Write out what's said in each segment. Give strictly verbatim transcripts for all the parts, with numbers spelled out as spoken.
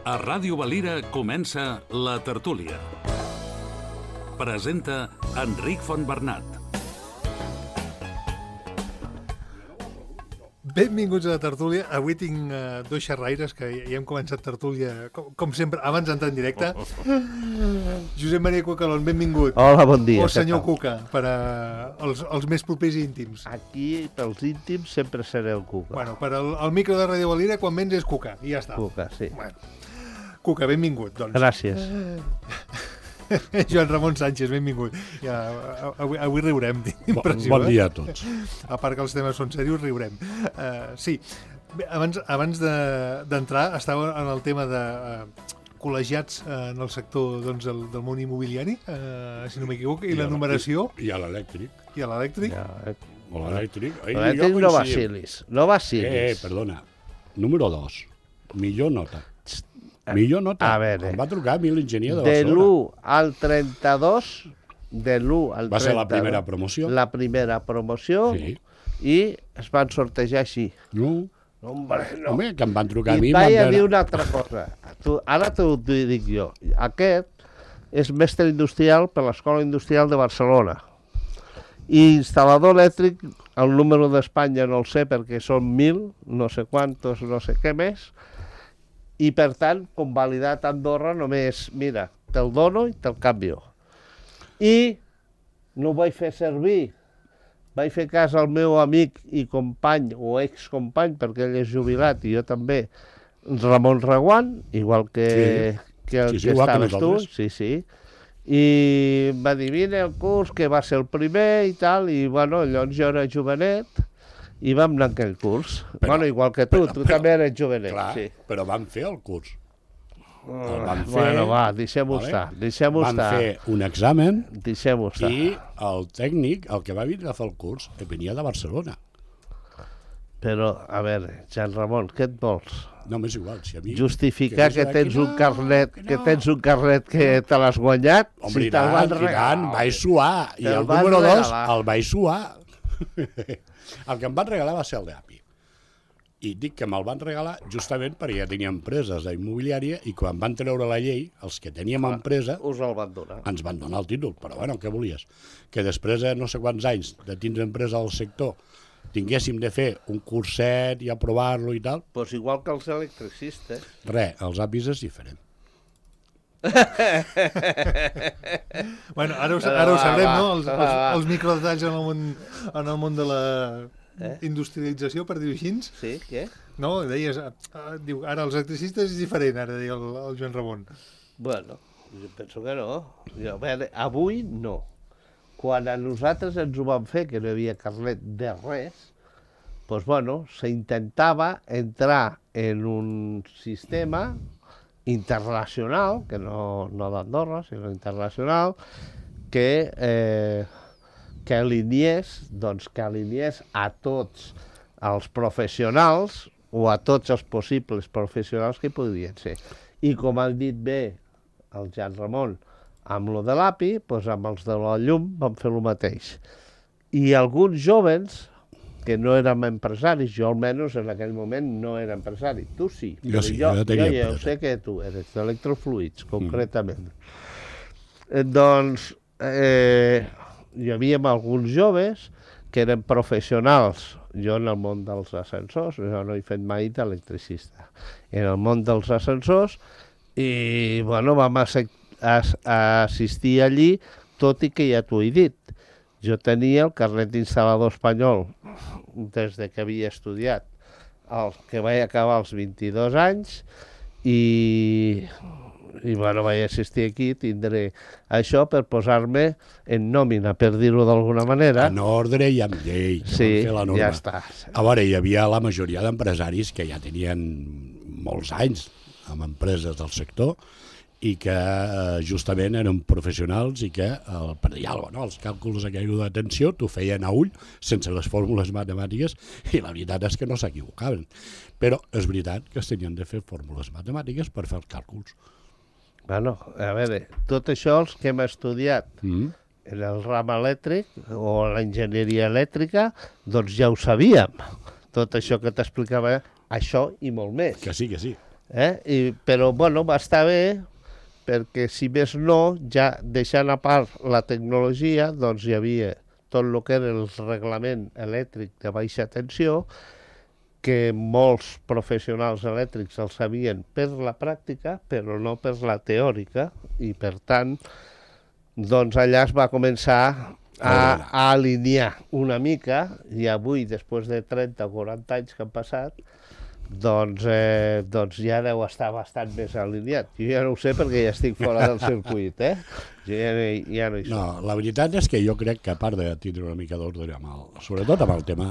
A Ràdio Valira comença La Tertúlia. Presenta Enric Fontbernat. Benvinguts a La Tertúlia. Avui tinc uh, dos xerraires que ja hem començat tertúlia, com, com sempre, abans d'entrar en directe. Josep Maria Cucalón, benvingut. Hola, bon dia. O senyor Cuca, per a els, els més propers i íntims. Aquí, pels íntims, sempre seré el Cuca. Bueno, per al, el micro de Ràdio Valira, quan vens és Cuca, i ja està. Cuca, sí. Bueno. Cuca, benvingut, doncs. Gràcies. Joan Ramon Sánchez, benvingut. Ja, avui, avui riurem, tinc impressió. Bon dia a tots. A part que els temes són serios, riurem. Uh, sí, bé, abans, abans d'entrar, de, estava en el tema de uh, col·legiats uh, en el sector doncs, del, del món immobiliari, uh, si no m'equivoco, i, I la numeració. I a l'elèctric. I a l'elèctric. Ja, eh. O l'elèctric. L'elèctric no vacilis. No vacilis. Eh, eh, perdona. Número dos. Millor nota. Millor nota. A veure. Em va trucar a mi l'enginyer de De Barcelona. l'u al trenta-dos, de l'u al trenta-dos... Va ser la primera promoció. La primera promoció, Sí. I es van sortejar així. No. Hombre, no. Home, que em van trucar a mi. I vaig a van dir veure- una altra cosa. Tu, ara t'ho dic jo. Aquest és mestre industrial per l'Escola Industrial de Barcelona. I instal·lador elèctric, el número d'Espanya no el sé perquè són mil, no sé quantos, no sé què més, i per tant, convalidat a Andorra només, mira, te'l dono i te'l canvio. I no ho vaig fer servir. Vaig fer cas al meu amic i company, o excompany, perquè ell és jubilat i jo també, Ramon Reguant, igual que, Sí. que el Sí, sí, que igual que estaves tu. nosaltres. Sí, sí. I em va dir, vine el curs, que va ser el primer i tal, i bueno, llavors jo era jovenet, i vam anar a aquell curs. Però- bueno, igual que tu, però- tu però- també eres jovenet. Clar, Sí. però van fer el curs. El van fer, Bueno, va, deixem-ho vale? estar, deixem-ho Van estar. fer un examen Deixem-ho estar. i el tècnic, el que va vindre a fer el curs, venia de Barcelona. Però, a veure, Jean Ramon, què et vols? No, m'és igual. Si a mi, Justificar que que no sé tens aquí, un no, carnet, que que no. tens un carnet que te l'has guanyat, Home, si i te'l tant, van i tant, regalar. vaig suar. I Te'l el van número dos regalar. el vaig suar. El que em van regalar va ser el d'Api. I dic que me'l van regalar justament perquè ja tenia empreses d'immobiliària i quan van treure la llei, els que teníem empresa, Us el van donar. ens van donar el títol. Però bueno, què volies? Que després de no sé quants anys de tindre empresa al sector tinguéssim de fer un curset i aprovar-lo i tal, Pues igual que els electricistes. res, els apis és diferent. Bueno, ara ho, ara ho Va, sabrem, va, no? Els, va, els, va. els microdetalls en el món, en el món de la Eh? industrialització, per dir-ho així. Sí, què? No, deies, uh, diu, ara els electricistes és diferent, ara deia el, el Joan Ramon. Bueno, jo penso que no. Jo, a veure, avui no. Quan a nosaltres ens ho van fer, que no hi havia carnet de res, doncs, bueno, s'intentava entrar en un sistema internacional, que no, no d'Andorra, sinó internacional, que, eh, que alineés, doncs, que alineés a tots els professionals o a tots els possibles professionals que podrien ser. I com han dit bé el Jean Ramon, amb lo de l'A P I, doncs amb els de la llum vam fer el mateix. I alguns jovens, que no érem empresaris, jo almenys en aquell moment no era empresari, tu sí, Jo però sí, jo, jo tenia jo ja ho empresa. sé que tu eres d'electrofluids, concretament. Mm. Eh, doncs eh, hi havia alguns joves que eren professionals, jo en el món dels ascensors, jo no he fet mai d'electricista, en el món dels ascensors, i bueno, vam assi- as- assistir allí, tot i que ja t'ho he dit, jo tenia el carnet d'instal·lador espanyol des de que havia estudiat, el que vaig acabar als vint-i-dos anys, i, i bueno, vaig assistir aquí, tindré això per posar-me en nòmina, per dir-ho d'alguna manera. En ordre i amb llei, que Sí, van fer la norma. ja està. A veure, hi havia la majoria d'empresaris que ja tenien molts anys amb empreses del sector i que eh, justament eren professionals i que el, per dir alguna cosa, no? Els càlculs aquells d'atenció t'ho feien a ull sense les fórmules matemàtiques i la veritat és que no s'equivocaven. Però és veritat que es tenien de fer fórmules matemàtiques per fer els càlculs. Bueno, a veure, tot això els que hem estudiat Mm. en el ram elèctric o la enginyeria elèctrica, doncs ja ho sabíem. Tot això que t'explicava, això i molt més. Que sí, que sí. Eh? I, però, bueno, va estar bé, perquè, si més no, ja deixant a part la tecnologia, doncs hi havia tot el que era el reglament elèctric de baixa tensió, que molts professionals elèctrics el sabien per la pràctica, però no per la teòrica, i per tant, doncs allà es va començar a, a alinear una mica, i avui, després de trenta o quaranta anys que han passat, doncs, eh, doncs ja deu estar bastant més alineat. Jo ja no ho sé perquè ja estic fora del circuit, eh? Jo ja, no, ja no hi soc. No, la veritat és que jo crec que, a part de tindre una mica d'ordre, sobretot amb el tema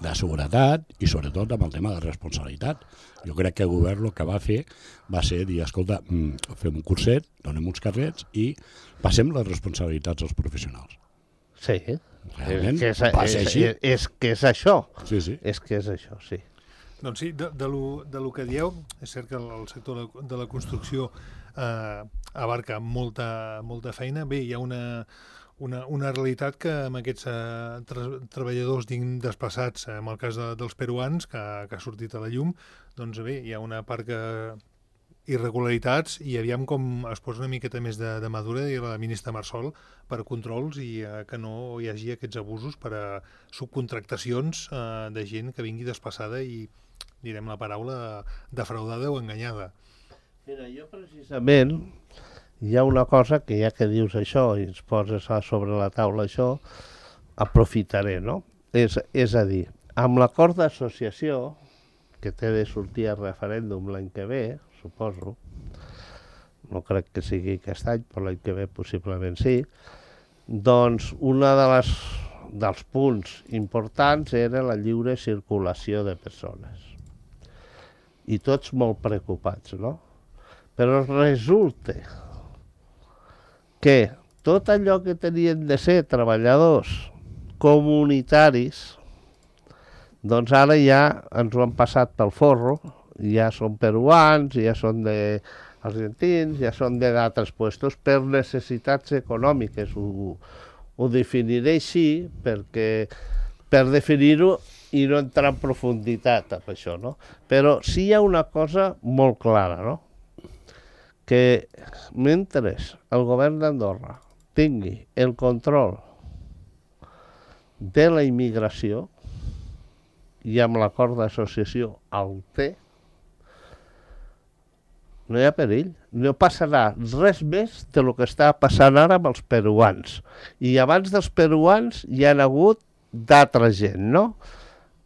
de seguretat i sobretot amb el tema de responsabilitat, jo crec que el govern el que va fer va ser dir, escolta, fem un curset, donem uns carrets i passem les responsabilitats als professionals. Sí, realment és, que és, va ser així. És, és que és això. Sí, sí. És que és això, sí. Doncs sí, de, de, lo, de lo que dieu, és cert que el sector de, de la construcció eh, abarca molta, molta feina. Bé, hi ha una, una, una realitat que amb aquests eh, tra treballadors desplaçats, eh, en el cas de, dels peruans, que, que ha sortit a la llum, doncs bé, hi ha una part que irregularitats i aviam com es posa una miqueta més de, de madura i la ministra Marsol per controls i eh, que no hi hagi aquests abusos per a subcontractacions eh, de gent que vingui desplaçada i direm la paraula defraudada o enganyada. Mira, jo precisament hi ha una cosa que ja que dius això i ens poses sobre la taula això, aprofitaré, no? És, és a dir, amb l'acord d'associació, que té de sortir a referèndum l'any que ve, suposo, no crec que sigui aquest any, però l'any que ve possiblement sí, doncs una de les, dels punts importants era la lliure circulació de persones. I tots molt preocupats, no? Però resulta que tot allò que tenien de ser treballadors comunitaris, doncs ara ja ens ho han passat pel forro, ja són peruans, ja són de argentins, ja són d'altres puestos per necessitats econòmiques. Ho, ho definiré així perquè per definir-ho i no entrar en profunditat amb això, no? Però sí hi ha una cosa molt clara, no? Que mentre el govern d'Andorra tingui el control de la immigració i amb l'acord d'associació el té, no hi ha perill. No passarà res més de lo que està passant ara amb els peruans. I abans dels peruans hi ha hagut d'altra gent, no?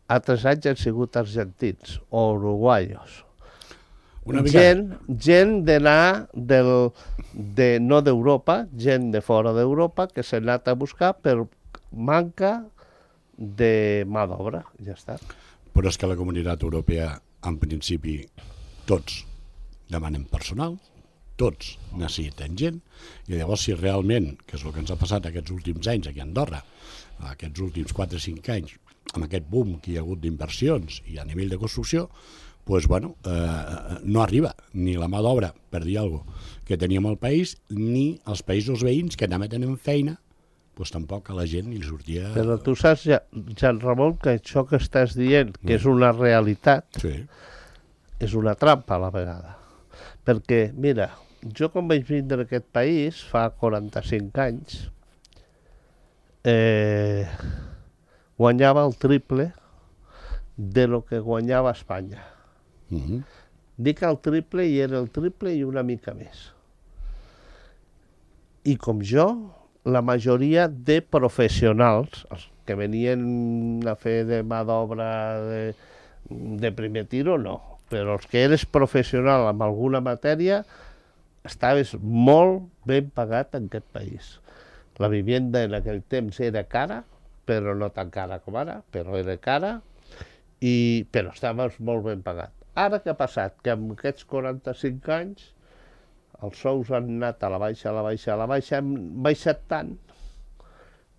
Altres anys han sigut argentins o uruguaios. Una mica... Gent, gent d'anar del, de, no d'Europa, gent de fora d'Europa que s'ha anat a buscar per manca de mà d'obra, ja està. Però és que la Comunitat Europea, en principi, tots demanen personal, tots necessiten gent, i llavors si realment, que és el que ens ha passat aquests últims anys aquí a Andorra, aquests últims quatre o cinc anys, amb aquest boom que hi ha hagut d'inversions i a nivell de construcció, doncs, bueno, eh, no arriba ni la mà d'obra, per dir alguna cosa, que teníem al país, ni els països veïns que també tenen feina, doncs tampoc a la gent li sortia... Però tu saps, Jan Ramon, que això que estàs dient, que mm. és una realitat, sí. És una trampa a la vegada. Perquè, mira, jo quan vaig vindre a aquest país, fa quaranta-cinc anys, eh, guanyava el triple de lo que guanyava Espanya. Mm-hmm. Dic el triple i era el triple i una mica més. I com jo, la majoria de professionals, els que venien a fer de mà d'obra de, de primer tiro, no. Però els que eres professional en alguna matèria, estaves molt ben pagat en aquest país. La vivienda en aquell temps era cara, però no tan cara com ara, però era cara, i, però estaves molt ben pagat. Ara què ha passat? Que en aquests quaranta-cinc anys els sous han anat a la baixa, a la baixa, a la baixa, han baixat tant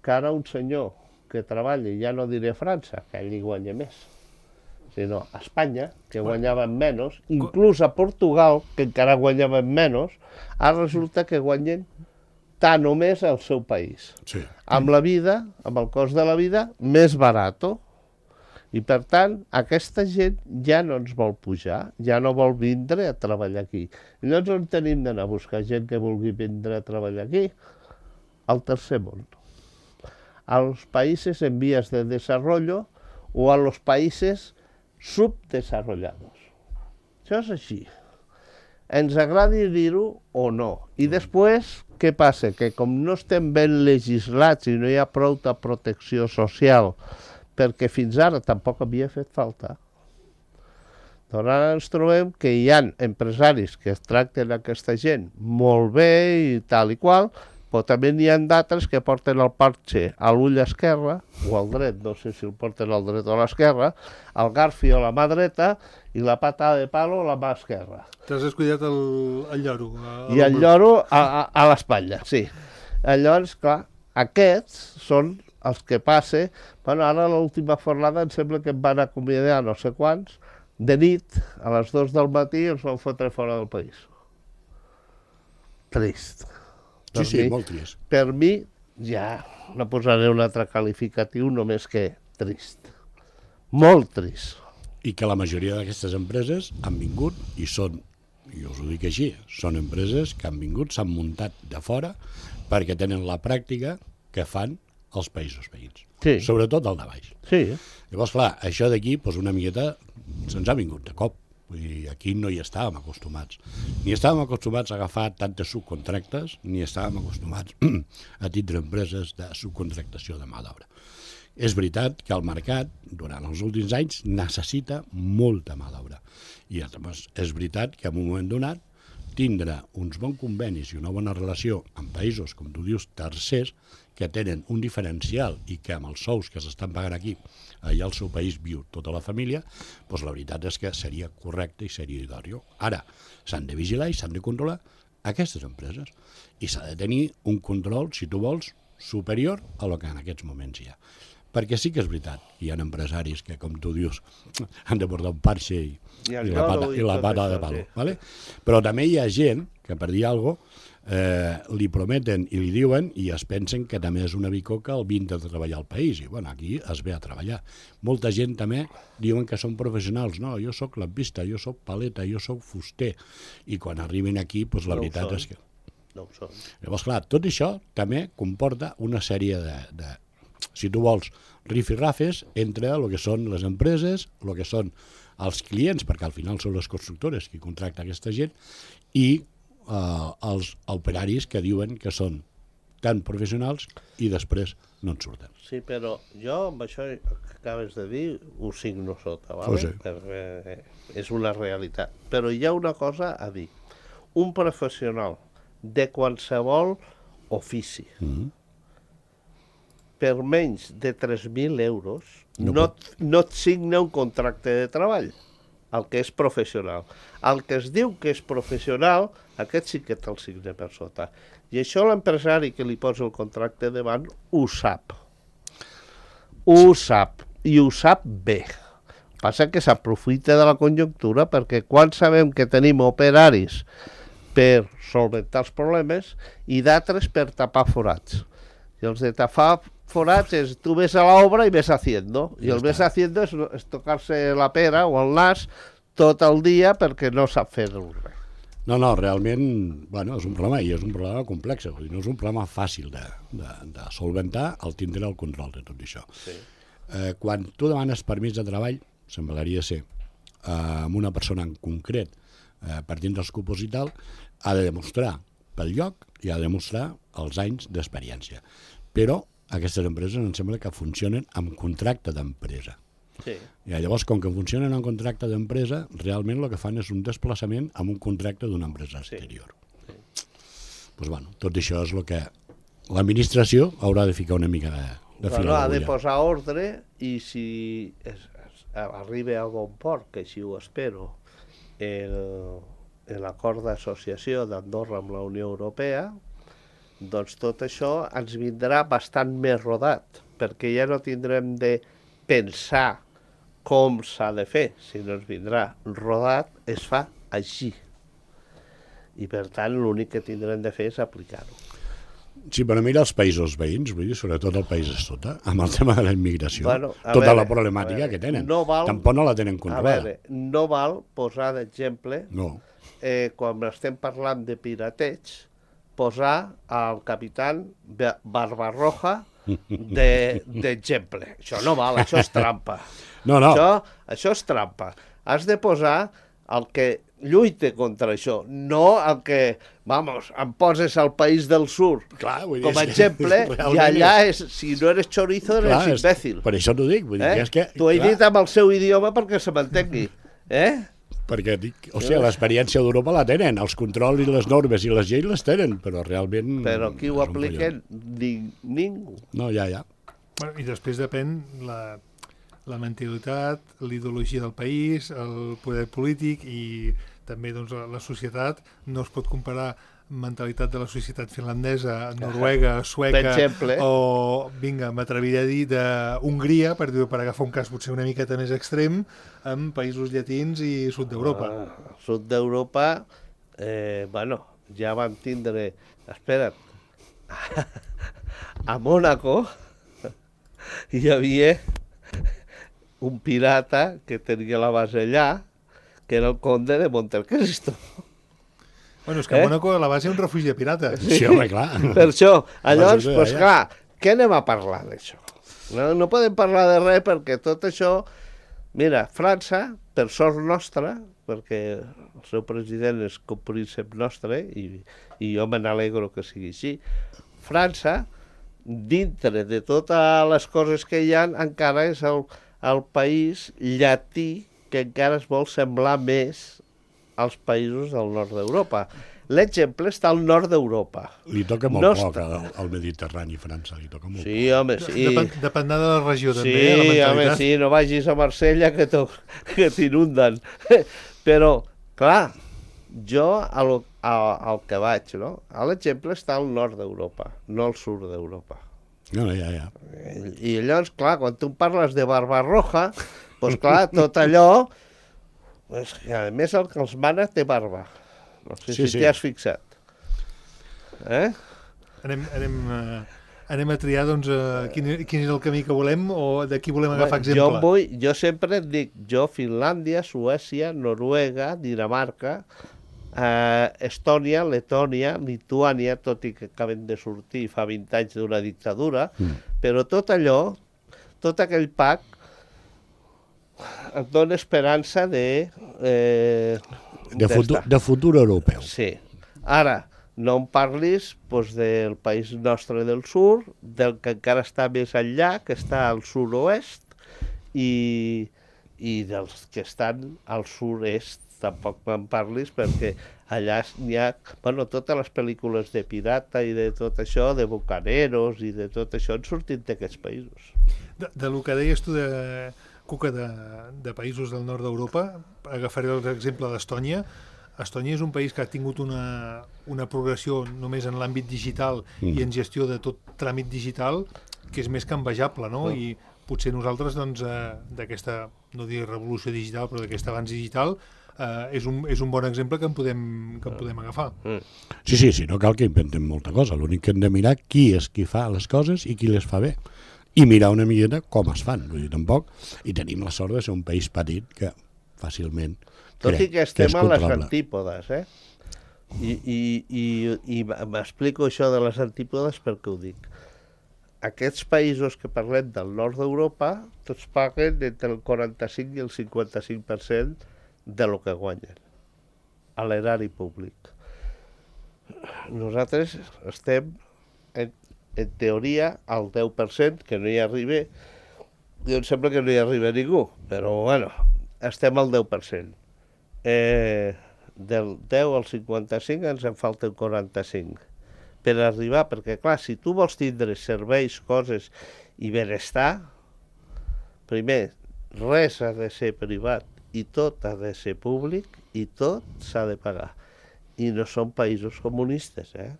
que ara un senyor que treballa, ja no diré a França, que ell hi guanya més, sinó a Espanya, que guanyaven menys, inclús a Portugal, que encara guanyaven menys, ara resulta que guanyen tant o més al seu país. Sí. Amb la vida, amb el cost de la vida, més barat. I, per tant, aquesta gent ja no ens vol pujar, ja no vol vindre a treballar aquí. I llavors on tenim d'anar a buscar gent que vulgui vindre a treballar aquí? Al tercer món. A los países en vías de desarrollo o a los países subdesarrollados. Això és així. Ens agradi dir-ho o no. I després, què passa? Que com no estem ben legislats i no hi ha prou de protecció social, perquè fins ara tampoc havia fet falta, doncs ara ens trobem que hi ha empresaris que es tracten aquesta gent molt bé i tal i qual, però també n'hi ha d'altres que porten el parxe a l'ull esquerre, o al dret, no sé si el porten al dret o a l'esquerra, el garfi a la mà dreta i la pata de palo a la mà esquerra. T'has descuidat el, el lloro. A, a I el lloro a, a, a l'espatlla, sí. Llavors, clar, aquests són els que passe. Bueno, ara a l'última fornada em sembla que em van acomiadar no sé quants, de nit, a les dues del matí, ens van fotre fora del país. Trist. Sí, sí, molt trist. Per mi, ja no posaré un altre qualificatiu, només que trist. Molt trist. I que la majoria d'aquestes empreses han vingut i són, i us ho dic així, són empreses que han vingut, s'han muntat de fora perquè tenen la pràctica que fan els països veïns. Sí. Sobretot el de baix. Sí. Llavors, clar, això d'aquí, doncs una miqueta, se'ns ha vingut de cop. Vull dir, aquí no hi estàvem acostumats. Ni estàvem acostumats a agafar tantes subcontractes, ni estàvem acostumats a tindre empreses de subcontractació de mà d'obra. És veritat que el mercat, durant els últims anys, necessita molta mà d'obra. I llavors, és veritat que en un moment donat, tindre uns bons convenis i una bona relació amb països, com tu dius, tercers, que tenen un diferencial i que amb els sous que s'estan pagant aquí, allà al seu país viu tota la família, doncs la veritat és que seria correcte i seria idoni. Ara, s'han de vigilar i s'han de controlar aquestes empreses i s'ha de tenir un control, si tu vols, superior a lo que en aquests moments hi ha. Perquè sí que és veritat, hi ha empresaris que, com tu dius, han de portar un parxe i, I, i la pata, i la pata de palo. Sí. ¿Vale? Però també hi ha gent que, per dir alguna cosa, eh, li prometen i li diuen i es pensen que també és una bicoca el vindre de treballar al país. I bueno, aquí es ve a treballar. Molta gent també diuen que són professionals. No, jo sóc lampista, jo sóc paleta, jo sóc fuster. I quan arriben aquí, doncs la no veritat és que... No ho són. Llavors, clar, tot això també comporta una sèrie de, de si tu vols, rifirrafes entre el que són les empreses, el que són els clients, perquè al final són les constructores qui contracta aquesta gent, i eh, els operaris que diuen que són tan professionals i després no en surten. Sí, però jo amb això que acabes de dir ho signo sota, ¿vale? Pues sí. Perquè és una realitat. Però hi ha una cosa a dir. Un professional de qualsevol ofici, Mm-hmm. per menys de tres mil euros, No no, no et signa un contracte de treball, el que és professional. El que es diu que és professional, aquest sí que te'l signa per sota. I això l'empresari que li posa el contracte davant ho sap. Ho sap, i ho sap bé. Passa que s'aprofita de la conjuntura perquè quan sabem que tenim operaris per solventar els problemes i d'altres per tapar forats. I els de tapar forats és tu ves a l'obra i ves haciendo. I el ves haciendo és, és tocar-se la pera o el nas tot el dia perquè no sap fer res. No, no, realment, bueno, és un problema i és un problema complex, vull dir, no és un problema fàcil de, de, de solventar el tindre el control de tot això. Sí. Eh, quan tu demanes permís de treball, semblaria ser, eh, amb una persona en concret, eh, per tindre els cupos i tal, ha de demostrar pel lloc i ha de demostrar els anys d'experiència. Però aquestes empreses em sembla que funcionen amb contracte d'empresa. Sí. I llavors, com que funcionen amb contracte d'empresa, realment el que fan és un desplaçament amb un contracte d'una empresa exterior. Sí. Sí. Pues bueno, tot això és el que l'administració haurà de ficar una mica de, de fil Bueno, a ha de l'agulla. posar ordre i si es, es, arriba a bon port, que així ho espero, el, l'acord d'associació d'Andorra amb la Unió Europea, doncs tot això ens vindrà bastant més rodat, perquè ja no tindrem de pensar com s'ha de fer, sinó ens vindrà rodat, es fa així. I per tant l'únic que tindrem de fer és aplicar-ho. Sí, però mira els països veïns, vull dir, sobretot el país de sota, amb el tema de la immigració, Bueno, a tota veure, la problemàtica a veure, que tenen. no val- Tampoc no la tenen A controlada. veure, no val posar d'exemple, No. eh, quan estem parlant de pirateig, posar al capitán Ba- Barbarroja de- d'exemple. Això no val, això és trampa. No, no. Això, això és trampa. Has de posar el que lluita contra això, no el que, vamos, em poses al país del sur Clar, vull dir, com a és que exemple, i realment allà, és, si no eres chorizo, eres Clar, és- imbècil. Per això t'ho dic, vull dir Eh? que és que... T'ho he clar, dit amb el seu idioma perquè se m'entengui. Eh? Perquè, dic, o sigui, l'experiència d'Europa la tenen, els controls i les normes i les lleis les tenen, però realment... Però qui ho és un aplica? collon. Ni, ningú. No, ja, ja. Bueno, I després depèn la, la mentalitat, l'ideologia del país, el poder polític i també doncs, la, la societat. No es pot comparar mentalitat de la societat finlandesa, noruega, sueca, Per exemple. o, vinga, m'atreviré a dir, d'Hongria, per, dir- per agafar un cas potser una miqueta més extrem, amb països llatins i sud d'Europa. Ah, sud d'Europa, eh, bueno, ja vam tindre... Espera't. A Mònaco hi havia un pirata que tenia la base allà, que era el conde de Montecristo. Bueno, és que a Eh? Mònaco a la base hi ha un refugi de pirates. Sí, home, clar. Per això, llavors, Vas a doncs allà. clar, què anem a parlar d'això? No, no podem parlar de res perquè tot això... Mira, França, per sort nostra, perquè el seu president és com príncep nostre i, i jo me n'alegro que sigui així, França, dintre de totes les coses que hi ha, encara és el, el país llatí que encara es vol semblar més als països del nord d'Europa. L'exemple està al nord d'Europa. Li toca molt No poc està- al, al Mediterrani, França, li toca molt Sí, home, sí. Depèn, dependrà de la regió, també, Sí, eh, la home, mentalitat. sí, no vagis a Marsella que t'ho- que t'inunden. Però, clar, jo al, al, al que vaig, no? L'exemple està al nord d'Europa, no al sud d'Europa. poc. No, no, ja, ja. I llavors, clar, quan tu em parles de Barbarroja, doncs clar, tot allò... És que, a més, el que els mana té barba. No sé Sí, si sí. t'hi has fixat. Eh? Anem, anem, eh, anem a triar doncs, eh, quin, quin és el camí que volem o de qui volem agafar exemple. Jo, em vull, jo sempre et dic, jo Finlàndia, Suècia, Noruega, Dinamarca, eh, Estònia, Letònia, Lituània, tot i que acaben de sortir fa vint anys d'una dictadura, Mm. però tot allò, tot aquell pack, et dona esperança de... Eh, De, futur, d'estar. de futur europeu. Sí. Ara, no em parlis doncs, del país nostre del sur, del que encara està més enllà, que està al sud-oest, i, i dels que estan al sud-est. Tampoc me'n parlis perquè allà n'hi ha... Bueno, totes les pel·lícules de pirata i de tot això, de bucaneros i de tot això, han sortit d'aquests països. De, de lo que deies tu de Cuca de, de països del nord d'Europa, agafaré l'exemple d'Estònia. Estònia és un país que ha tingut una, una progressió només en l'àmbit digital Mm. i en gestió de tot tràmit digital, que és més que envejable, no? Mm. I potser nosaltres, doncs, eh, d'aquesta, no dir revolució digital, però d'aquest avanç digital, eh, és, un, és un bon exemple que en podem, que en podem agafar. Mm. Sí, sí, sí, no cal que inventem molta cosa. L'únic que hem de mirar qui és qui fa les coses i qui les fa bé. I mirar una miqueta com es fan. Vull dir, tampoc. I tenim la sort de ser un país petit que fàcilment Tot crec i que estem és a les controlable. antípodes, eh? I, i, i, i m'explico això de les antípodes perquè ho dic. Aquests països que parlem del nord d'Europa, tots paguen entre el quaranta-cinc i el cinquanta-cinc per cent de lo que guanyen a l'erari públic. Nosaltres estem, en, en teoria, al deu per cent, que no hi arriba. Jo em sembla que no hi arriba ningú, però bueno, estem al deu per cent. Eh, del deu al cinquanta-cinc ens en falta un quaranta-cinc per arribar, perquè clar, si tu vols tindre serveis, coses i benestar, primer, res ha de ser privat i tot ha de ser públic i tot s'ha de pagar. I no són països comunistes, eh?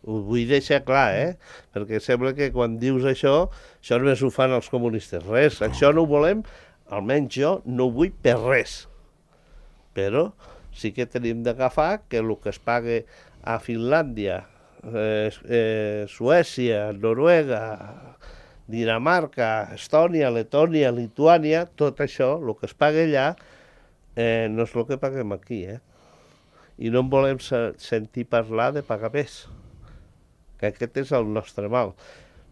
Ho vull deixar clar, eh? Perquè sembla que quan dius això, això només ho fan els comunistes. Res, això no ho volem, almenys jo no ho vull per res. Però sí que tenim d'agafar que el que es paga a Finlàndia eh, eh, Suècia, Noruega, Dinamarca, Estònia, Letònia, Lituània, tot això, el que es paga allà, eh, no és el que paguem aquí, eh? I no en volem se sentir parlar de pagar més, que aquest és el nostre mal.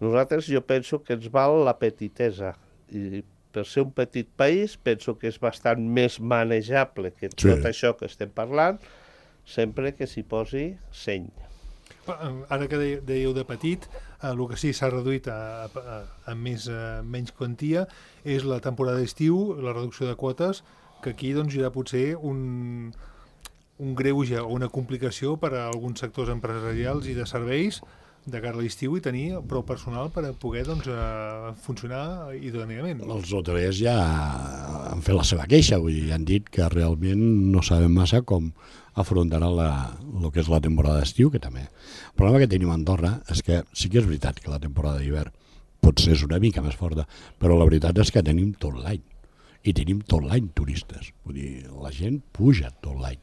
Nosaltres, jo penso que ens val la petitesa, i per ser un petit país, penso que és bastant més manejable que tot sí. això que estem parlant, sempre que s'hi posi seny. Ara que dèieu de petit, eh, el que sí s'ha reduït a, a, a, més, a menys quantia és la temporada d'estiu, la reducció de quotes, que aquí doncs, hi ha potser un, un greuge o una complicació per a alguns sectors empresarials i de serveis de cara a l'estiu i tenir prou personal per a poder doncs, a funcionar idòniament. Els hotelers ja han fet la seva queixa, vull dir, han dit que realment no sabem massa com afrontarà la, el que és la temporada d'estiu, que també. El problema que tenim a Andorra és que sí que és veritat que la temporada d'hivern potser és una mica més forta, però la veritat és que tenim tot l'any. I tenim tot l'any turistes. Vull dir, la gent puja tot l'any.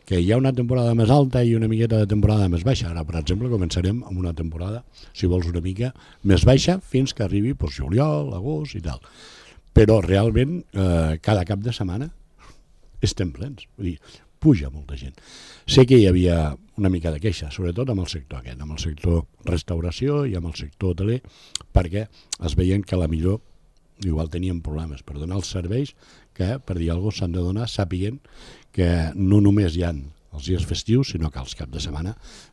Que hi ha una temporada més alta i una miqueta de temporada més baixa. Ara, per exemple, començarem amb una temporada, si vols, una mica més baixa fins que arribi pues, juliol, agost i tal. Però realment, eh, cada cap de setmana estem plens. Vull dir, puja molta gent. Sé que hi havia una mica de queixa, sobretot amb el sector aquest, amb el sector restauració i amb el sector hoteler, perquè es veien que la millor igual tenien problemes per donar els serveis que, per dir alguna cosa, s'han de donar sàpiguen que no només hi ha els dies festius, sinó que als caps de setmana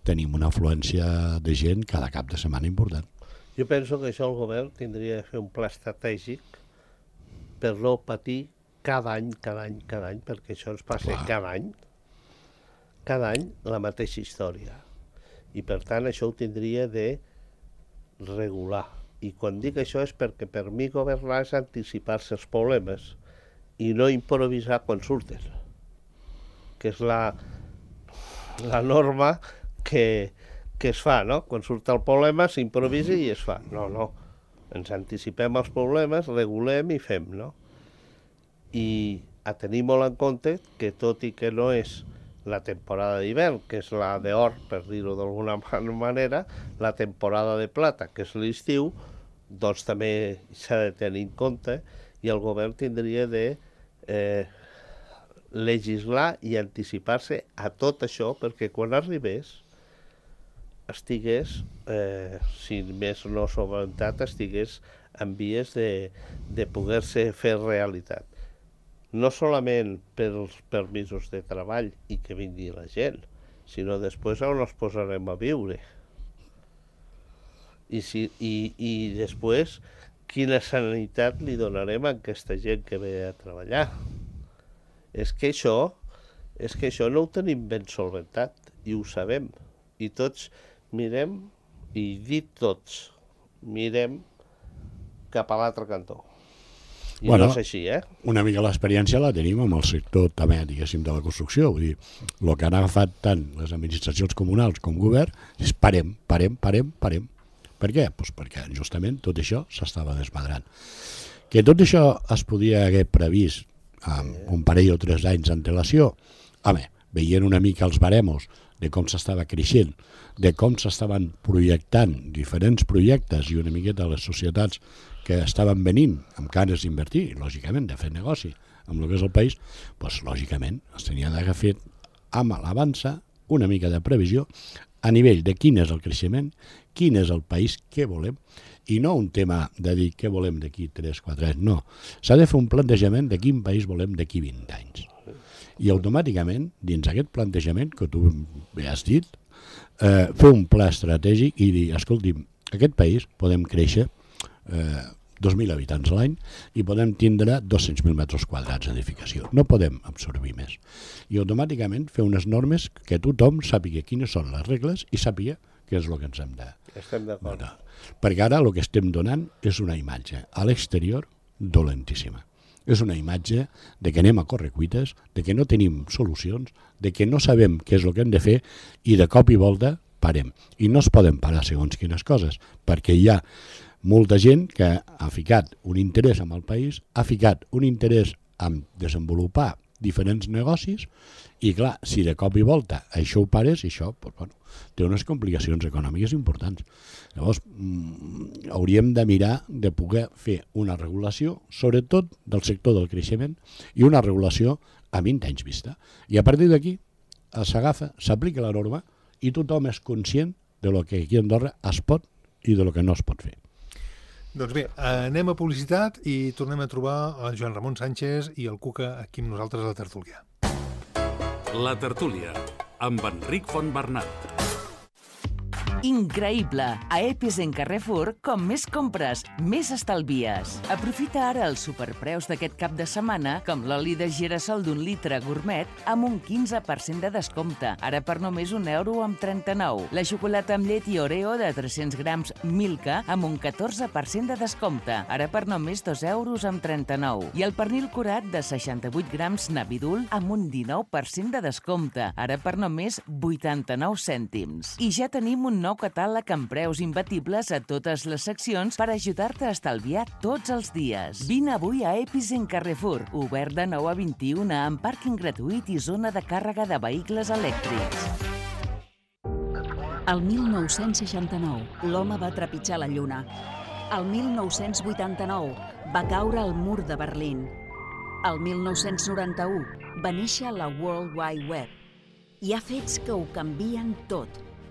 tenim una afluència de gent cada cap de setmana important. Jo penso que això el govern tindria de fer un pla estratègic per no patir cada any, cada any, cada any, perquè això ens passa Clar. cada any, cada any la mateixa història. I per tant això ho tindria de regular. I quan dic això és perquè per mi governar és anticipar-se els problemes i no improvisar quan surten, que és la, la norma que, que es fa, no? Quan surt el problema s'improvisa i es fa. No, no, ens anticipem els problemes, regulem i fem, no? I a tenir molt en compte que tot i que no és la temporada d'hivern, que és la d'or, per dir-ho d'alguna manera, la temporada de plata, que és l'estiu, doncs també s'ha de tenir en compte i el govern tindria de eh, legislar i anticipar-se a tot això perquè quan arribés estigués, eh, si més no sobreventat, estigués en vies de, de poder-se fer realitat. No solament pels permisos de treball i que vingui la gent, sinó després on els posarem a viure. I, si, i, i després quina sanitat li donarem a aquesta gent que ve a treballar. És que això, és que això no ho tenim ben solventat i ho sabem. I tots mirem, i dit tots, mirem cap a l'altre cantó. I bueno, no és així, eh? Una mica l'experiència la tenim amb el sector també, diguéssim, de la construcció. Vull dir, el que han agafat tant les administracions comunals com govern és parem, parem, parem, parem. Per què? Pues perquè justament tot això s'estava desmadrant. Que tot això es podia haver previst amb un parell o tres anys d'antelació, home, veient una mica els baremos de com s'estava creixent, de com s'estaven projectant diferents projectes i una miqueta les societats que estaven venint amb ganes d'invertir, lògicament, de fer negoci amb el que és el país, doncs lògicament es tenia d'haver fet amb l'avança una mica de previsió a nivell de quin és el creixement, quin és el país que volem, i no un tema de dir què volem d'aquí tres quatre anys, no. S'ha de fer un plantejament de quin país volem d'aquí vint anys. I automàticament, dins aquest plantejament, que tu bé has dit, eh, fer un pla estratègic i dir, escolti'm, aquest país podem créixer eh, dos mil habitants a l'any i podem tindre dos-cents mil metres quadrats d'edificació. No podem absorbir més. I automàticament fer unes normes que tothom sàpiga quines són les regles i sàpiga què és el que ens hem de... Estem d'acord. No, no. Perquè ara el que estem donant és una imatge a l'exterior dolentíssima. És una imatge de que anem a correcuites, de que no tenim solucions, de que no sabem què és el que hem de fer i de cop i volta parem. I no es poden parar segons quines coses, perquè hi ha molta gent que ha ficat un interès en el país, ha ficat un interès en desenvolupar diferents negocis, i clar, si de cop i volta això ho pares, això doncs, bueno, té unes complicacions econòmiques importants. Llavors, mm, hauríem de mirar de poder fer una regulació, sobretot del sector del creixement, i una regulació a vint anys vista. I a partir d'aquí s'agafa, s'aplica la norma i tothom és conscient de lo que aquí a Andorra es pot i de lo que no es pot fer. Doncs bé, anem a publicitat i tornem a trobar el Joan Ramon Sánchez i el Cuca aquí amb nosaltres a la tertúlia. La tertúlia, amb Enric Fontbernat. Increïble! A Epizen Carrefour, com més compres, més estalvies. Aprofita ara els superpreus d'aquest cap de setmana, com l'oli de girassol d'un litre gourmet, amb un quinze per cent de descompte, ara per només un euro amb trenta-nou. La xocolata amb llet i Oreo de tres-cents grams Milka, amb un catorze per cent de descompte, ara per només dos euros amb trenta-nou. I el pernil curat de seixanta-vuit grams Navidul, amb un dinou per cent de descompte, ara per només vuitanta-nou cèntims. I ja tenim un nou catàleg amb preus imbatibles a totes les seccions per ajudar-te a estalviar tots els dies. Vine avui a Epizen Carrefour, obert de nou a vint-i-una, amb pàrquing gratuït i zona de càrrega de vehicles elèctrics. El mil nou-cents seixanta-nou, l'home va trepitjar la lluna. El mil nou-cents vuitanta-nou, va caure el mur de Berlín. El mil nou-cents noranta-u, va néixer la World Wide Web. Hi ha fets que ho canvien tot.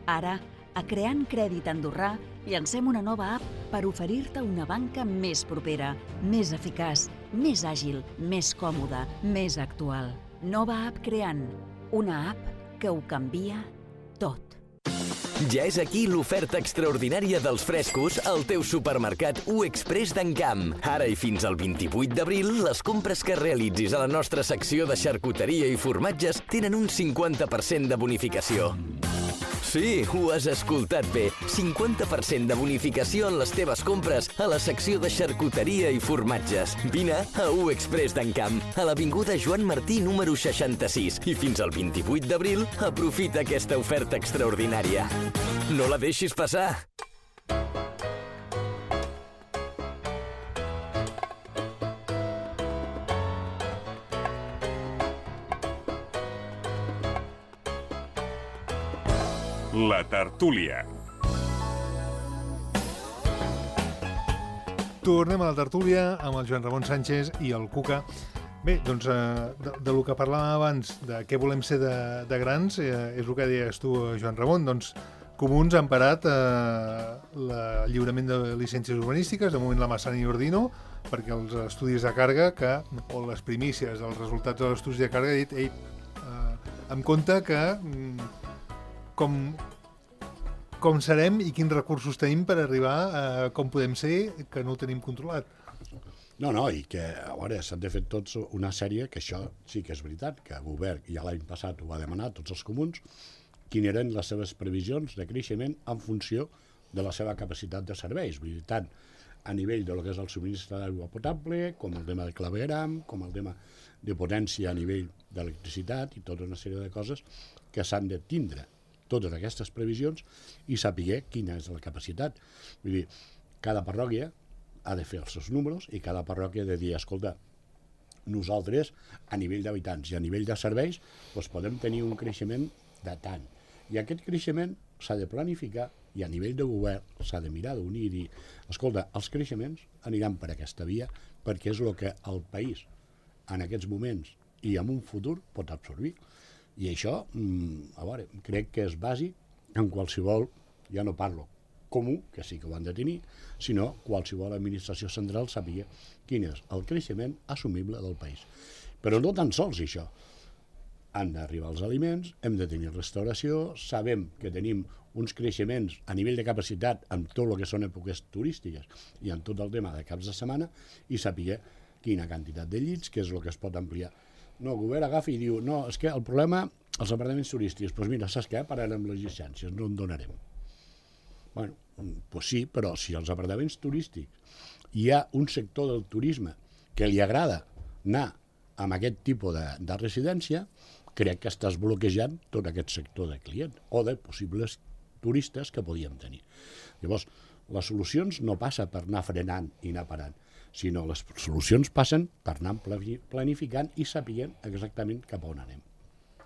Ara, a Creant Crèdit Andorrà, llancem una nova app per oferir-te una banca més propera, més eficaç, més àgil, més còmoda, més actual. Nova app Creant, una app que ho canvia tot. Ja és aquí l'oferta extraordinària dels frescos al teu supermercat U Express d'Encamp. Ara i fins al vint-i-vuit d'abril, les compres que realitzis a la nostra secció de xarcuteria i formatges tenen un cinquanta per cent de bonificació. Sí, ho has escoltat bé. cinquanta per cent de bonificació en les teves compres a la secció de xarcuteria i formatges. Vine a U Express d'Encamp, a l'avinguda Joan Martí número seixanta-sis. I fins al vint-i-vuit d'abril, aprofita aquesta oferta extraordinària. No la deixis passar! La tertúlia. Tornem a la tertúlia amb el Joan Ramon Sánchez i el Cuca. Bé, doncs, eh, de, de lo que parlàvem abans, de què volem ser de, de grans, eh, és el que deies tu, Joan Ramon. Doncs, Comuns han parat eh, el lliurament de llicències urbanístiques, de moment la Massana i Ordino, perquè els estudis de càrrega, que, o les primícies, els resultats dels estudis de càrrega, ha dit, ei, eh, en compte que mm, com, com serem i quins recursos tenim per arribar a com podem ser, que no ho tenim controlat. No, no, i que a veure, s'han de fer tots una sèrie, que això sí que és veritat, que el govern ja l'any passat ho va demanar, tots els comuns, quines eren les seves previsions de creixement en funció de la seva capacitat de serveis, vull dir, tant a nivell de lo que és el subministre d'aigua potable, com el tema de clavegram, com el tema de potència a nivell d'electricitat i tota una sèrie de coses que s'han de tindre totes aquestes previsions i saber quina és la capacitat. Vull dir, cada parròquia ha de fer els seus números i cada parròquia ha de dir, escolta, nosaltres, a nivell d'habitants i a nivell de serveis, doncs podem tenir un creixement de tant. I aquest creixement s'ha de planificar i a nivell de govern s'ha de mirar d'unir i dir, escolta, els creixements aniran per aquesta via perquè és el que el país en aquests moments i en un futur pot absorbir. I això, a veure, crec que és bàsic en qualsevol, ja no parlo comú, que sí que ho han de tenir, sinó qualsevol administració central sàpiga quin és el creixement assumible del país. Però no tan sols això. Han d'arribar els aliments, hem de tenir restauració, sabem que tenim uns creixements a nivell de capacitat en tot el que són èpoques turístiques i en tot el tema de caps de setmana i saber quina quantitat de llits, que és el que es pot ampliar. No, el govern agafa i diu, no, és que el problema, els apartaments turístics, doncs mira, saps què? Pararem les llicències, no en donarem. Bueno, doncs sí, però si als apartaments turístics hi ha un sector del turisme que li agrada anar amb aquest tipus de, de residència, crec que estàs bloquejant tot aquest sector de client o de possibles turistes que podíem tenir. Llavors, Les solucions no passa per anar frenant i anar parant, sinó les solucions passen per anar planificant i sapiguem exactament cap a on anem.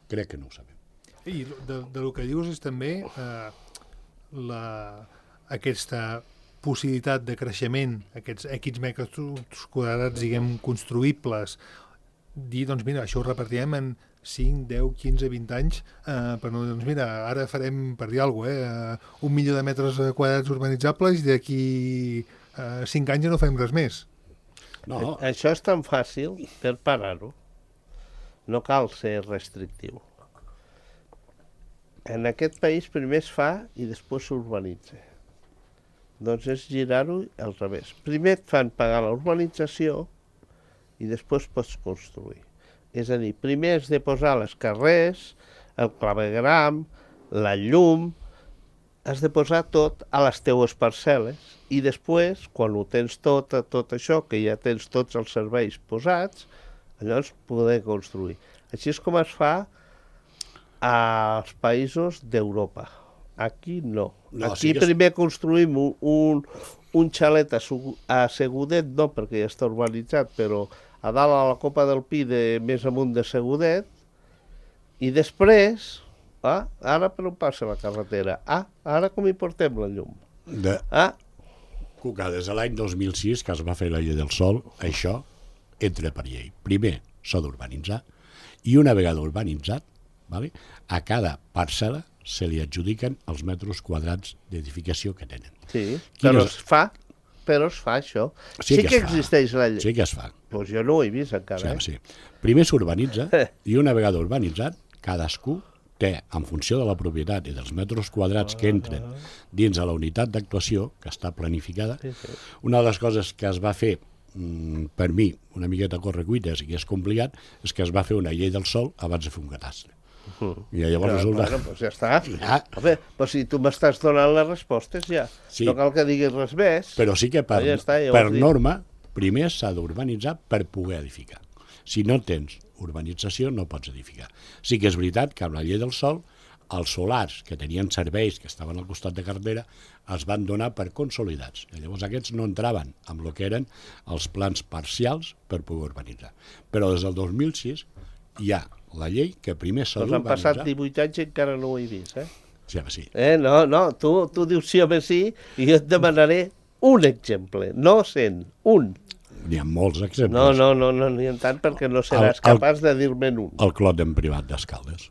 Crec que no ho sabem. I de, de lo que dius és també eh, la, aquesta possibilitat de creixement, aquests X metres quadrats, diguem, construïbles, dir, doncs mira, això ho repartirem en cinc, deu, quinze, vint anys, eh, però no, doncs mira, ara farem, per dir alguna cosa, eh, un milió de metres quadrats urbanitzables i d'aquí eh, cinc anys ja no fem res més. No. Això és tan fàcil per parar-ho. No cal ser restrictiu. En aquest país primer es fa i després s'urbanitza. Doncs és girar-ho al revés. Primer et fan pagar la urbanització i després pots construir. És a dir, primer has de posar les carrers, el clavegram, la llum, has de posar tot a les teues parcel·les i després, quan ho tens tot, tot això, que ja tens tots els serveis posats, llavors poder construir. Així és com es fa als països d'Europa. Aquí no. No, Aquí sí que és... primer construïm un, un, un xalet a, a Segudet, no perquè ja està urbanitzat, però a dalt a la Copa del Pi de més amunt de Segudet, i després, ah, ara per on passa la carretera? Ah, ara com hi portem la llum? De... Ah, Cuca, des de l'any dos mil sis, que es va fer la llei del sòl, això entra per llei. Primer s'ha d'urbanitzar, i una vegada urbanitzat, vale, a cada parcel·la se li adjudiquen els metres quadrats d'edificació que tenen. sí, Quines... però es fa, però es fa això. Sí, sí que, que existeix la llei. Sí que es fa. Doncs jo no ho he vist encara. Sí, sí. Primer s'urbanitza, i una vegada urbanitzat, cadascú té, en funció de la propietat i dels metres quadrats que entren dins de la unitat d'actuació, que està planificada, Sí, sí. una de les coses que es va fer, mm, per mi, una miqueta a correcuites i que és complicat, és que es va fer una llei del sòl abans de fer un catastre. Uh-huh. I llavors Ja, resulta... bueno, doncs ja està. Ja. Home, però si tu m'estàs donant les respostes ja, Sí. no cal que diguis res més. Però sí que per, Ja està, ja ho per has dit. norma, primer s'ha d'urbanitzar per poder edificar. Si no tens urbanització, no pots edificar. Sí que és veritat que amb la llei del sòl, els solars que tenien serveis, que estaven al costat de carretera, es van donar per consolidats. I llavors aquests no entraven amb el que eren els plans parcials per poder urbanitzar. Però des del dos mil sis hi ha la llei que primer s'ha Doncs han d'urbanitzar. passat divuit anys i encara no ho he vist, eh? Sí, home, sí. Eh, no, no, tu, tu dius sí, home, sí, i jo et demanaré un exemple, no cent, un. N'hi ha molts exemples. No, no, no, no n'hi ha tant perquè no seràs El- el- capaç de dir-me'n un. El clot en privat d'Escaldes.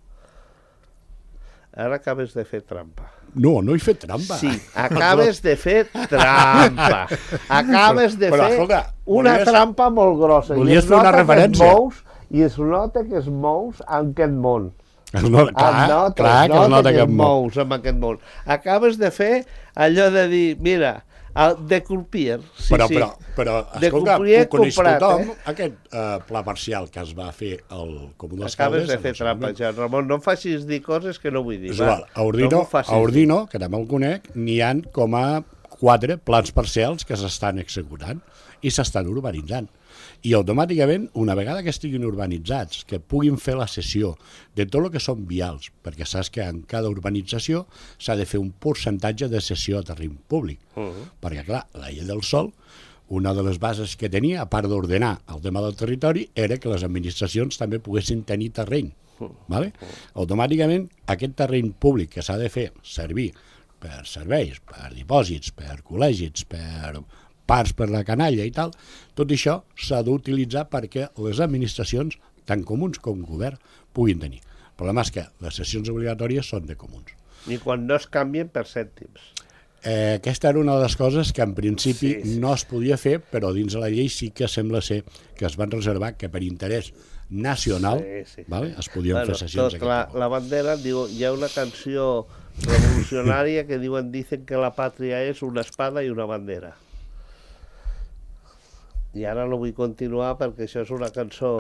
Ara acabes de fer trampa. No, no he fet trampa. Sí, acabes de fer trampa. Acabes de Però, fer escolta, una volies- trampa molt grossa. volies I es fer una nota que et referència. mous, I es nota que es mous en aquest món. Es nota, clar, es nota, clar es que es nota que que et em mou. mous en aquest món. Acabes de fer allò de dir, mira, el de Culpier. Sí, però, sí. però, però, De escolta, Culpier ho coneix comprat, tothom, eh? aquest eh, pla parcial que es va fer al Comú d'Escaldes. Acabes de en fer el seu trampa, moment. ja, Ramon. No em facis dir coses que no vull dir. És va. igual, a Ordino, no m'ho facis a Ordino, que també el conec, n'hi han com a quatre plans parcials que s'estan executant i s'estan urbanitzant. I automàticament, una vegada que estiguin urbanitzats, que puguin fer la cessió de tot el que són vials, perquè saps que en cada urbanització s'ha de fer un percentatge de cessió a terreny públic. Uh -huh. Perquè, clar, la llei del sòl, una de les bases que tenia, a part d'ordenar el tema del territori, era que les administracions també poguessin tenir terreny. Vale? Automàticament, aquest terreny públic que s'ha de fer servir per serveis, per dipòsits, per col·legis, per parts per la canalla i tal, tot això s'ha d'utilitzar perquè les administracions, tant comuns com govern, puguin tenir. El problema és que les sessions obligatòries són de comuns. Ni quan no es canvien per cèntims. Eh, aquesta era una de les coses que en principi Sí, sí. no es podia fer, però dins de la llei sí que sembla ser que es van reservar que per interès nacional Sí, sí. vale, es podien Bueno, fer sessions tot, d'aquest la, tipus. la bandera, diu, hi ha una canció revolucionària que diuen, dicen que la pàtria és una espada i una bandera. I ara no vull continuar perquè això és una cançó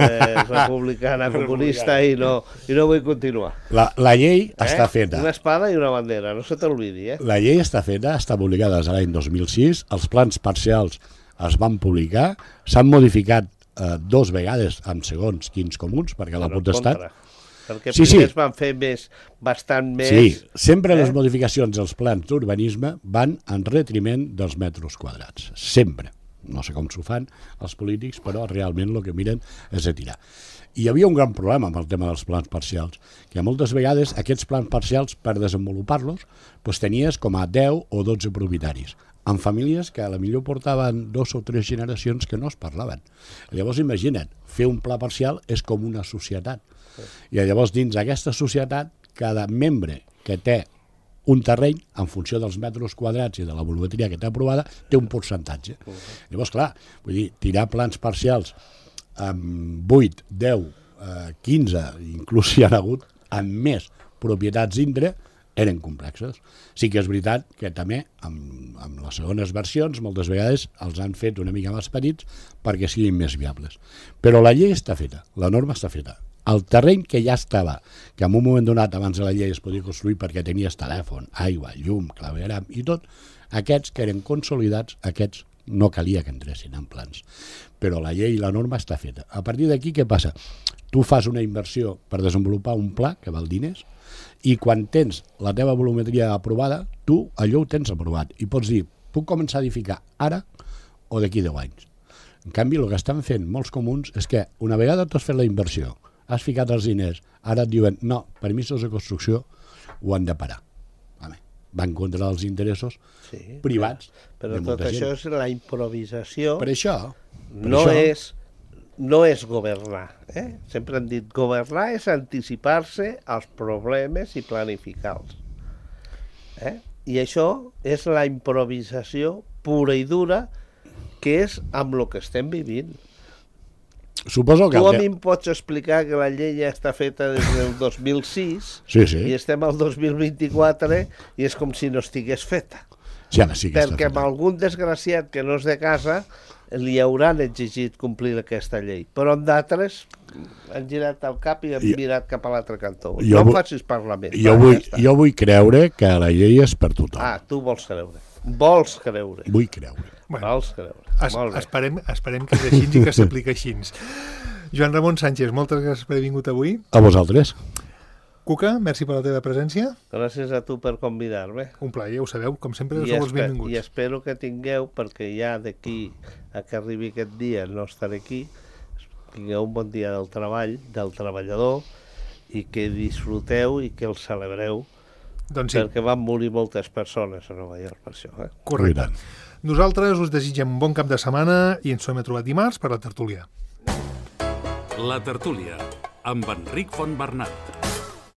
eh, republicana, comunista, i no, i no vull continuar. La, la llei Eh? està feta. Una espada i una bandera, no se t'olvidi, eh? La llei està feta, està publicada des de l'any dos mil sis, els plans parcials es van publicar, s'han modificat eh, dos vegades amb segons quins comuns, perquè la Però en potestat... contra. Perquè Sí, sí. primer es van fer més, bastant més... Sí, sempre eh? les modificacions dels plans d'urbanisme van en retriment dels metres quadrats. Sempre. No sé com s'ho fan els polítics, però realment el que miren és de tirar. I hi havia un gran problema amb el tema dels plans parcials, que moltes vegades aquests plans parcials, per desenvolupar-los, doncs tenies com a deu o dotze propietaris, amb famílies que a la millor portaven dos o tres generacions que no es parlaven. Llavors, imagina't, fer un pla parcial és com una societat. I llavors, dins d'aquesta societat, cada membre que té un terreny, en funció dels metres quadrats i de la volumetria que té aprovada, té un percentatge. Llavors, clar, vull dir, tirar plans parcials amb vuit, deu, quinze, inclús hi ha hagut amb més propietats dintre, eren complexes. Sí que és veritat que també, amb, amb les segones versions, moltes vegades els han fet una mica més petits perquè siguin més viables. Però la llei està feta, la norma està feta. El terreny que ja estava, que en un moment donat abans de la llei es podia construir perquè tenies telèfon, aigua, llum, clavegram i tot, aquests que eren consolidats, aquests no calia que entressin en plans. Però la llei i la norma està feta. A partir d'aquí, què passa? Tu fas una inversió per desenvolupar un pla que val diners i quan tens la teva volumetria aprovada, tu allò ho tens aprovat i pots dir, puc començar a edificar ara o d'aquí deu anys. En canvi, el que estan fent molts comuns és que una vegada tu has fet la inversió, has ficat els diners, ara et diuen, no, permisos de construcció ho han de parar. Home, va en contra dels interessos sí, privats. Però tot això és la improvisació. Per això. Per no, això. És, no és governar. Eh? Sempre han dit, governar és anticipar-se als problemes i planificar-los. Eh? I això és la improvisació pura i dura que és amb el que estem vivint. Suposo que... Tu a mi em pots explicar que la llei ja està feta des del dos mil sis sí, sí. i estem al dos mil vint-i-quatre i és com si no estigués feta. Sí, ara sí que perquè està amb algun desgraciat que no és de casa li hauran exigit complir aquesta llei, però amb d'altres han girat el cap i han jo, mirat cap a l'altre cantó. Jo no vull, facis parlar més. Jo, va, vull, ja jo vull creure que la llei és per tothom. Ah, tu vols creure. Vols creure. Vull creure. Bueno, vols creure. Es, esperem, esperem que és així i que s'aplica així. Joan Ramon Sánchez, moltes gràcies per haver vingut avui. A vosaltres. Cuca, merci per la teva presència. Gràcies a tu per convidar-me. Un plaer, ja ho sabeu, com sempre I sou els benvinguts. I espero que tingueu, perquè ja d'aquí a que arribi aquest dia no estaré aquí, tingueu un bon dia del treball, del treballador, i que disfruteu i que el celebreu, doncs sí. Perquè van morir moltes persones a Nova York per això. Eh? Correcte. Nosaltres us desitgem un bon cap de setmana i ens tornem a trobar dimarts per la tertúlia. La tertúlia, amb Enric Fontbernat.